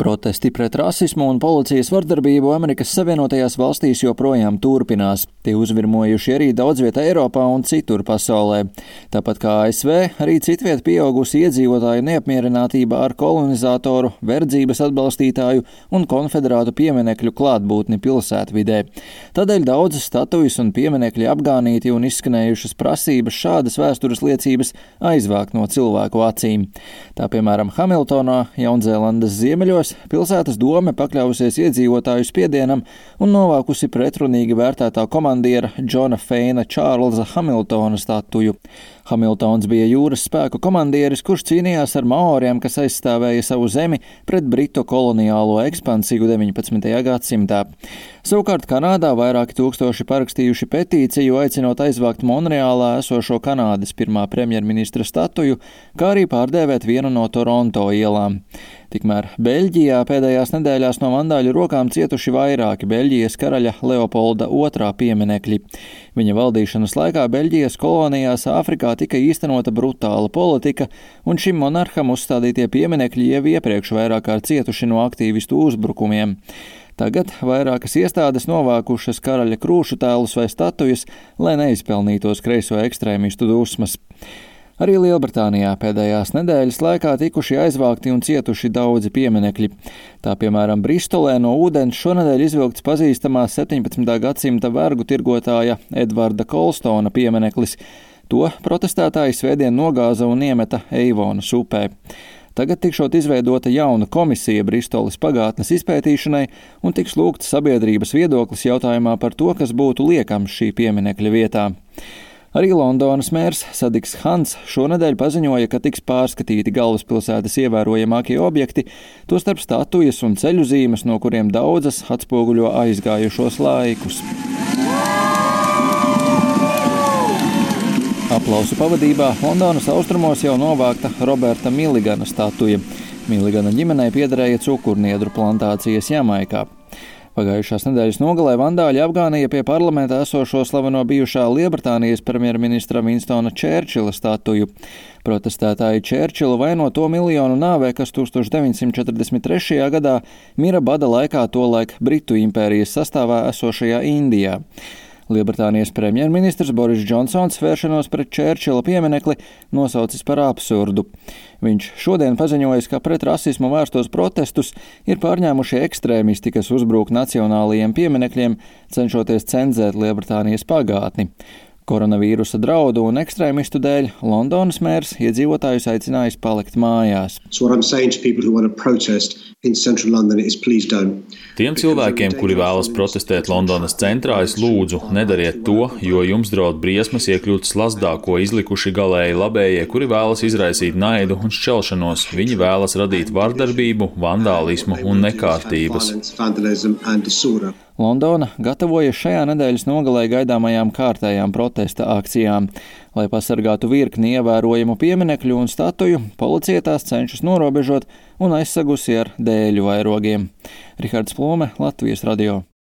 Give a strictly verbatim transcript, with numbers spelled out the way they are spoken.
Protesti pret rasismu un policijas vardarbību Amerikas Savienotajās valstīs joprojām turpinās. Tie uzvirmojuši arī daudz vietā Eiropā un citur pasaulē. Tāpat kā A S V, arī citviet pieaugusi iedzīvotāju neapmierinātība ar kolonizatoru, verdzības atbalstītāju un konfederātu pieminekļu klātbūtni pilsētvidē. Tādēļ daudzas statujas un pieminekļi apgānīti un izskanējušas prasības šādas vēstures liecības aizvākt no cilvēku acīm. Tā piemēram Hamiltonā, Jaunzēlandes ziemeļos, pilsētas dome pakļausies iedzīvotāju spiedienam un novākusi pretrunīgi vērtētā komandiera Džona Feina Čārlza Hamiltona statuju. Hamiltons bija jūras spēku komandieris, kurš cīnījās ar maoriem, kas aizstāvēja savu zemi pret britu koloniālo ekspansiju deviņpadsmitajā gadsimtā. Savukārt Kanādā vairāki tūkstoši parakstījuši petīciju, aicinot aizvākt Monreālā esošo Kanādas pirmā premjerministra statuju, kā arī pārdēvēt vienu no Toronto ielām. Tikmēr Beļģijā pēdējās nedēļās no vandāļu rokām cietuši vairāki Beļģijas karaļa Leopolda otrā pieminekļi. Viņa valdīšanas laikā Beļģijas kolonijās Āfrikā tika īstenota brutāla politika, un šim monarham uzstādītie pieminekļi jau iepriekš vairāk kārt cietuši no aktīvistu uzbrukumiem. Tagad vairākas iestādes novākušas karaļa krūšu tēlus vai statujas, lai neizpelnītos kreiso ekstrēmistu dusmas. Arī Lielbritānijā pēdējās nedēļas laikā tikuši aizvākti un cietuši daudzi pieminekļi. Tā piemēram Bristolē no ūdens šonedēļ izvilkts pazīstamā septiņpadsmitā gadsimta vergu tirgotāja Edvarda Kolstona piemineklis. To protestētāji svētdien nogāza un iemeta Eivonas upē. Tagad tikšot izveidota jauna komisija Bristoles pagātnes izpētīšanai un tiks lūgts sabiedrības viedoklis jautājumā par to, kas būtu liekams šī pieminekļa vietā. Arī Londonas mērs Sadiks Hans šonedēļ paziņoja, ka tiks pārskatīti galvaspilsētas ievērojamākie objekti, tostarp statujas un ceļu zīmes, no kuriem daudzas atspoguļo aizgājušos laikus. Aplausu pavadībā Londonas austrumos jau novākta Roberta Milligana statuja. Milligana ģimenei piederēja cukurniedru plantācijas Jamaikā. Pagājušās nedēļas nogalē vandāļi apgānīja pie parlamentā esošo slaveno bijušā Lielbritānijas premjerministra Winstona Čērčila statuju. Protestētāji Čērčilu vaino to miljonu nāvē, kas tūkstoš deviņsimt četrdesmit trešajā gadā mira bada laikā tolaik Britu impērijas sastāvā esošajā Indijā. Lielbritānijas premjerministrs Boris Džonsons vēršanos pret Čērčila pieminekli nosaucis par absurdu. Viņš šodien paziņojis, ka pret rasismu vērstos protestus ir pārņēmuši ekstrēmisti, kas uzbrūk nacionālajiem pieminekļiem, cenšoties cenzēt Lielbritānijas pagātni. Koronavīrusa draudu un ekstrēmistu dēļ Londonas mērs iedzīvotājus aicinājis palikt mājās. So Tiem cilvēkiem, kuri vēlas protestēt Londonas centrā, es lūdzu, nedariet to, jo jums draud briesmas iekļūt slazdā, ko izlikuši galēji labējie, kuri vēlas izraisīt naidu un šķelšanos. Viņi vēlas radīt vardarbību, vandālismu un nekārtības. Londona gatavojas šajā nedēļas nogalē gaidāmajām kārtējām protesta akcijām. Lai pasargātu virkni ievērojamu pieminekļu un statuju, policija tās cenšas norobežot un aizsagusi ar dēļu vairogiem. Rihards Plome, Latvijas radio.